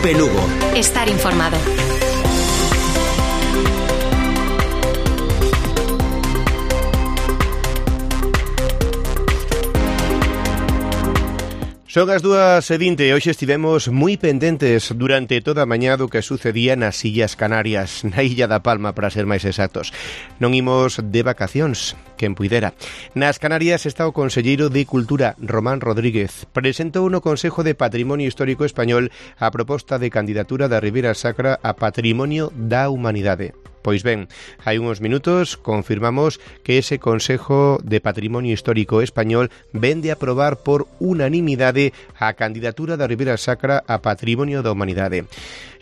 Cope Lugo. Estar informado. Son as 2:20 e hoxe estivemos moi pendentes durante toda a mañá do que sucedía nas Illas Canarias, na Illa da Palma, para ser máis exactos. Non imos de vacacións, quen puidera. Nas Canarias está o conselleiro de Cultura, Román Rodríguez. Presentou no Consejo de Patrimonio Histórico Español a proposta de candidatura da Ribeira Sacra a Patrimonio da Humanidade. Pois ben, hai uns minutos confirmamos que ese Consejo de Patrimonio Histórico Español vende a aprobar por unanimidade a candidatura da Ribeira Sacra a Patrimonio da Humanidade.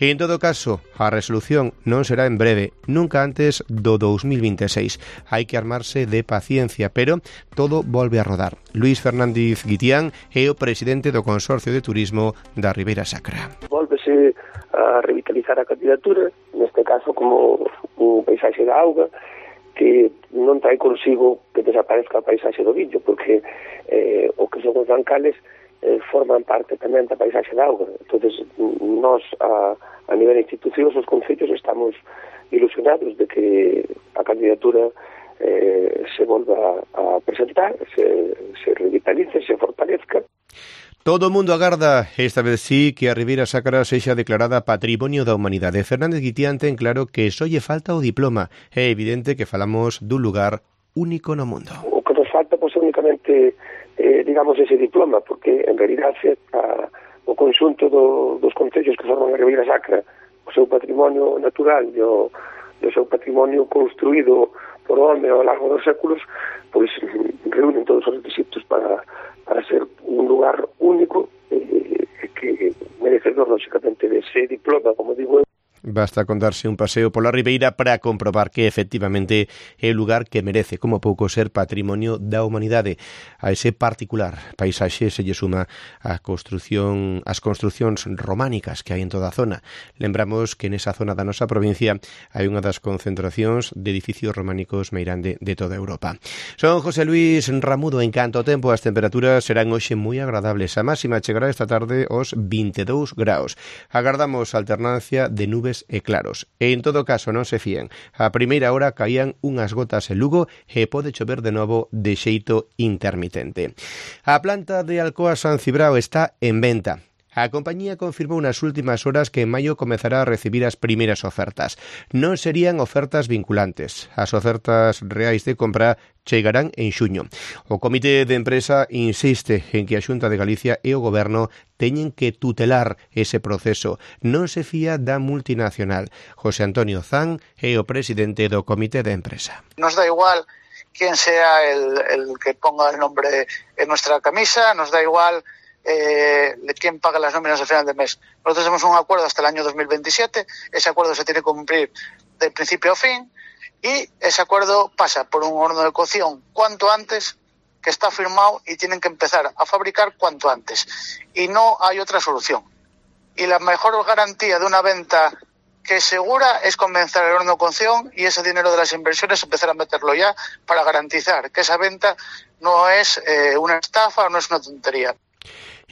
E en todo caso, a resolución non será en breve, nunca antes do 2026. Hai que armarse de paciencia, pero todo volve a rodar. Luís Fernández Guitián é o presidente do Consorcio de Turismo da Ribeira Sacra. Volvese a revitalizar a candidatura, neste caso como un paisaxe da auga, que non trae consigo que desaparezca a paisaxe do Villo, porque o que son os bancales forman parte tamén da paisaxe da auga. Entonces, nós a nivel de institucións, os concellos, estamos ilusionados de que a candidatura se volva a presentar, se revitalice, se fortalezca. Todo o mundo agarda, esta vez sí, que a Ribeira Sacra sexa declarada Patrimonio da Humanidade. Fernández Guitián ten claro que só lle falta o diploma. É evidente que falamos dun lugar único no mundo. O que nos falta, pois, únicamente, digamos, ese diploma, porque, en realidade, o conxunto dos concellos que forman a Ribeira Sacra, o seu patrimonio natural e o seu patrimonio construído por o home ao largo dos séculos, pois reúnen todos os requisitos para ser un lugar único que merecedor, lógicamente, de ese diploma, como digo eu. Basta con darse un paseo pola Ribeira para comprobar que efectivamente é o lugar que merece, como pouco, ser patrimonio da humanidade. A ese particular paisaxe se lle suma as construcións románicas que hai en toda a zona. Lembramos que nesa zona da nosa provincia hai unha das concentracións de edificios románicos máis grande de toda Europa. Son José Luis Ramudo. En canto ao tempo, as temperaturas serán hoxe moi agradables. A máxima chegará esta tarde aos 22 graus. Agardamos alternancia de nubes e claros. E en todo caso non se fíen. A primeira hora caían unhas gotas en Lugo e pode chover de novo de xeito intermitente. A planta de Alcoa San Cibrao está en venta. A compañía confirmou nas últimas horas que en maio comezará a recibir as primeiras ofertas. Non serían ofertas vinculantes. As ofertas reais de compra chegarán en xuño. O Comité de Empresa insiste en que a Xunta de Galicia e o Goberno teñen que tutelar ese proceso. Non se fía da multinacional. José Antonio Zan é o presidente do Comité de Empresa. Nos da igual quién sea el que ponga el nombre en nuestra camisa, nos da igual quién paga las nóminas al final del mes. Nosotros tenemos un acuerdo hasta el año 2027, ese acuerdo se tiene que cumplir de principio a fin y ese acuerdo pasa por un horno de cocción cuanto antes, que está firmado, y tienen que empezar a fabricar cuanto antes. Y no hay otra solución. Y la mejor garantía de una venta que es segura es convencer al horno de cocción y ese dinero de las inversiones empezar a meterlo ya para garantizar que esa venta no es una estafa o no es una tontería.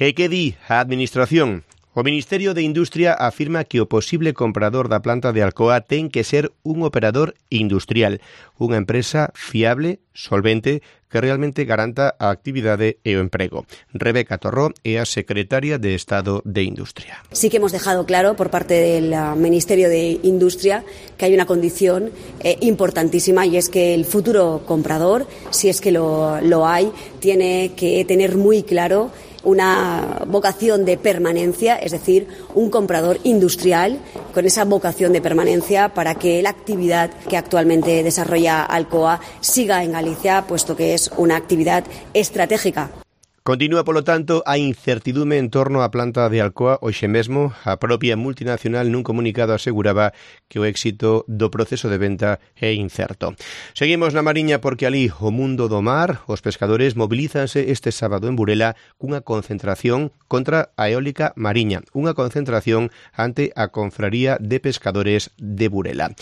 E que di a Administración? O Ministerio de Industria afirma que o posible comprador da planta de Alcoa ten que ser un operador industrial, unha empresa fiable, solvente, que realmente garanta a actividade e o emprego. Rebeca Torró é a secretaria de Estado de Industria. Sí que hemos dejado claro por parte del Ministerio de Industria que hay una condición importantísima, y es que el futuro comprador, si es que lo hay, tiene que tener muy claro una vocación de permanencia, es decir, un comprador industrial con esa vocación de permanencia para que la actividad que actualmente desarrolla Alcoa siga en Galicia, puesto que es una actividad estratégica. Continúa, polo tanto, a incertidume en torno á planta de Alcoa. Hoxe mesmo, a propia multinacional nun comunicado aseguraba que o éxito do proceso de venta é incerto. Seguimos na Mariña porque ali o mundo do mar, os pescadores mobilízanse este sábado en Burela cunha concentración contra a eólica mariña, unha concentración ante a Confraría de Pescadores de Burela.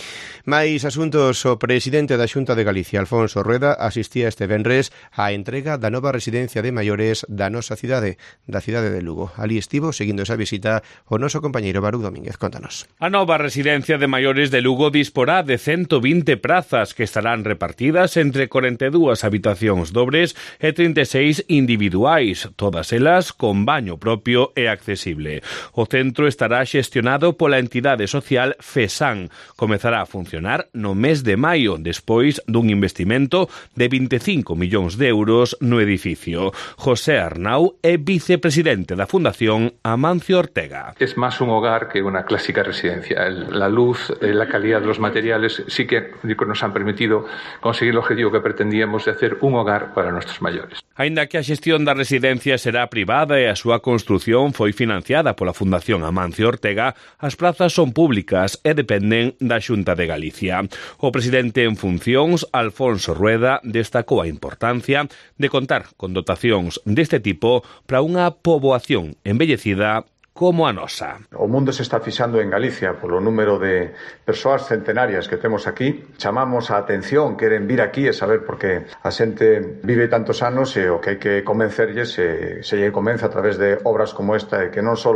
Mais asuntos, o presidente da Xunta de Galicia, Alfonso Rueda, asistía este venres á entrega da nova residencia de maiores través da nosa cidade, da cidade de Lugo. Ali estivo, seguindo esa visita, o noso compañeiro Baruch Domínguez. Contanos. A nova residencia de maiores de Lugo disporá de 120 prazas que estarán repartidas entre 42 habitacións dobres e 36 individuais, todas elas con baño propio e accesible. O centro estará xestionado pola entidade social FESAN. Comezará a funcionar no mes de maio, despois dun investimento de 25 millóns de euros no edificio. José Arnau é vicepresidente da Fundación Amancio Ortega. Es más un hogar que una clásica residencia. La luz, la calidad de los materiales sí que nos han permitido conseguir el objetivo que pretendíamos de hacer un hogar para nuestros mayores. Aínda que a xestión da residencia será privada e a súa construción foi financiada pola Fundación Amancio Ortega, as prazas son públicas e dependen da Xunta de Galicia. O presidente en funcións, Alfonso Rueda, destacou a importancia de contar con dotacións deste tipo para unha poboación envellecida como a nosa. O mundo se está fixando en Galicia polo número de persoas centenarias que temos aquí. Chamamos a atención, queren vir aquí e saber por que a xente vive tantos anos e o que hai que convencerlles se lle convence a través de obras como esta e que non só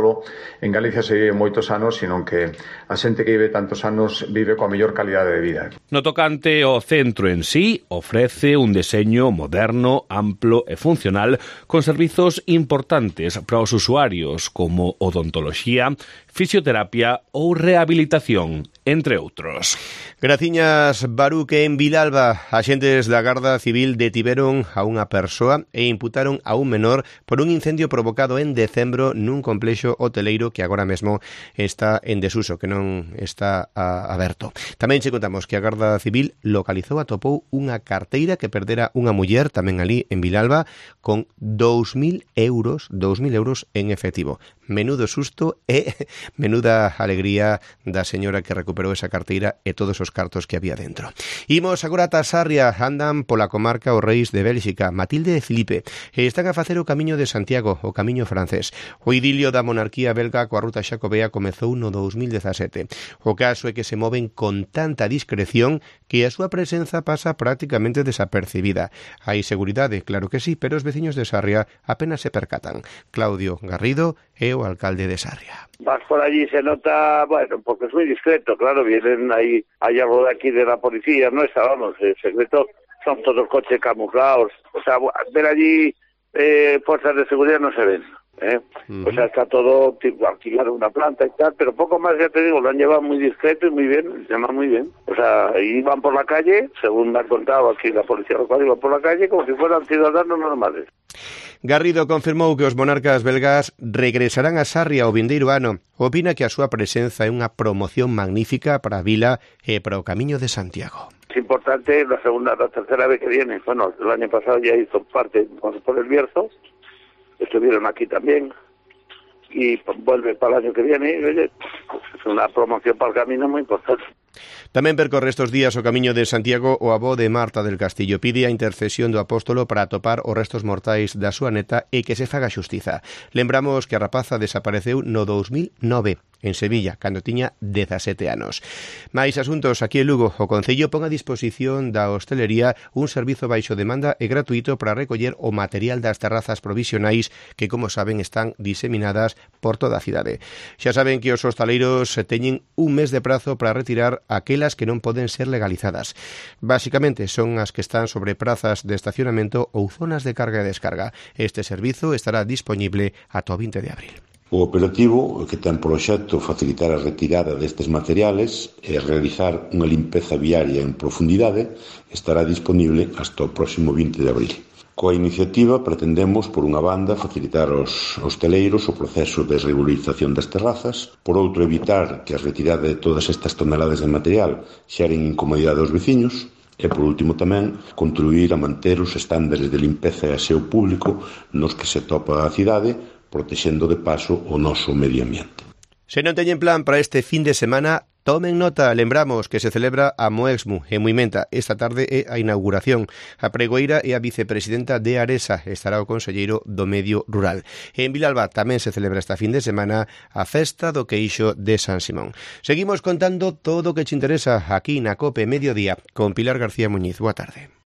en Galicia se vive moitos anos, sino que a xente que vive tantos anos vive coa mellor calidade de vida. No tocante ao centro en sí, ofrece un deseño moderno, amplo e funcional con servizos importantes para os usuarios como odontoloxía, fisioterapia ou rehabilitación, entre outros. Graciñas, Baruch. En Vilalba, axentes da Garda Civil detiveron a unha persoa e imputaron a un menor por un incendio provocado en decembro nun complexo hoteleiro que agora mesmo está en desuso, que non está aberto. Tamén che contamos que a Garda Civil localizou, atopou unha carteira que perdera unha muller tamén ali en Vilalba con 2.000 euros en efectivo. Menudo susto e menuda alegría da señora que recuperou esa carteira e todos os cartos que había dentro. Imos agora ata Sarria, andan pola comarca os reis de Bélxica, Matilde e Filipe, e están a facer o camiño de Santiago, o camiño francés. O idilio da monarquía belga coa ruta xacobea comezou no 2017. O caso é que se moven con tanta discreción que a súa presenza pasa prácticamente desapercibida. Hai seguridade, claro que sí, pero os veciños de Sarria apenas se percatan. Claudio Garrido é o alcalde de Sarria. Vas por allí se nota, bueno, porque es muy discreto, claro, vienen ahí, hay algo de aquí de la policía, no está, vamos, el secreto, son todos coches camuflados, o sea, ver allí fuerzas de seguridad no se ven, O sea, está todo tipo, alquilado una planta y tal, pero poco más, ya te digo, lo han llevado muy discreto y muy bien, se llama muy bien. O sea, iban por la calle, según me han contado aquí la policía local, iban por la calle como si fueran ciudadanos normales. Garrido confirmou que os monarcas belgas regresarán a Sarria o vindeiro ano. Opina que a súa presenza é unha promoción magnífica para a vila e para o Camiño de Santiago. Es importante la tercera vez que viene. Bueno, el año pasado ya hizo parte por el Bierzo, estuvieron aquí también y vuelve para el año que viene. Oye, es una promoción para el camino muy importante. Tamén percorre estes días o Camiño de Santiago o avó de Marta del Castillo. Pide a intercesión do apóstolo para atopar os restos mortais da súa neta e que se faga xustiza. Lembramos que a rapaza desapareceu no 2009 en Sevilla, cando tiña 17 anos. Mais asuntos aquí en Lugo, o Concello pon a disposición da hostelería un servizo baixo demanda e gratuito para recoller o material das terrazas provisionais que, como saben, están diseminadas por toda a cidade. Xa saben que os hostaleiros teñen un mes de prazo para retirar aquelas que non poden ser legalizadas. Básicamente son as que están sobre prazas de estacionamento ou zonas de carga e descarga. Este servizo estará disponible ata o 20 de abril. O operativo, que ten por obxecto facilitar a retirada destes materiales e realizar unha limpeza viaria en profundidade, estará disponible hasta o próximo 20 de abril. Coa iniciativa pretendemos, por unha banda, facilitar aos hosteleiros o proceso de regularización das terrazas, por outro, evitar que a retirada de todas estas toneladas de material xeren incomodidade aos veciños, e, por último, tamén, contribuir a manter os estándares de limpeza e aseo público nos que se topa a cidade, protexendo de paso o noso medio ambiente. Se non teñen plan para este fin de semana, tomen nota, lembramos que se celebra a Moexmu en Muimenta. Esta tarde é a inauguración. A pregoeira é a vicepresidenta de Aresa, estará o conselleiro do Medio Rural. En Vilalba tamén se celebra esta fin de semana a festa do queixo de San Simón. Seguimos contando todo o que te interesa aquí na COPE Mediodía con Pilar García Muñiz. Boa tarde.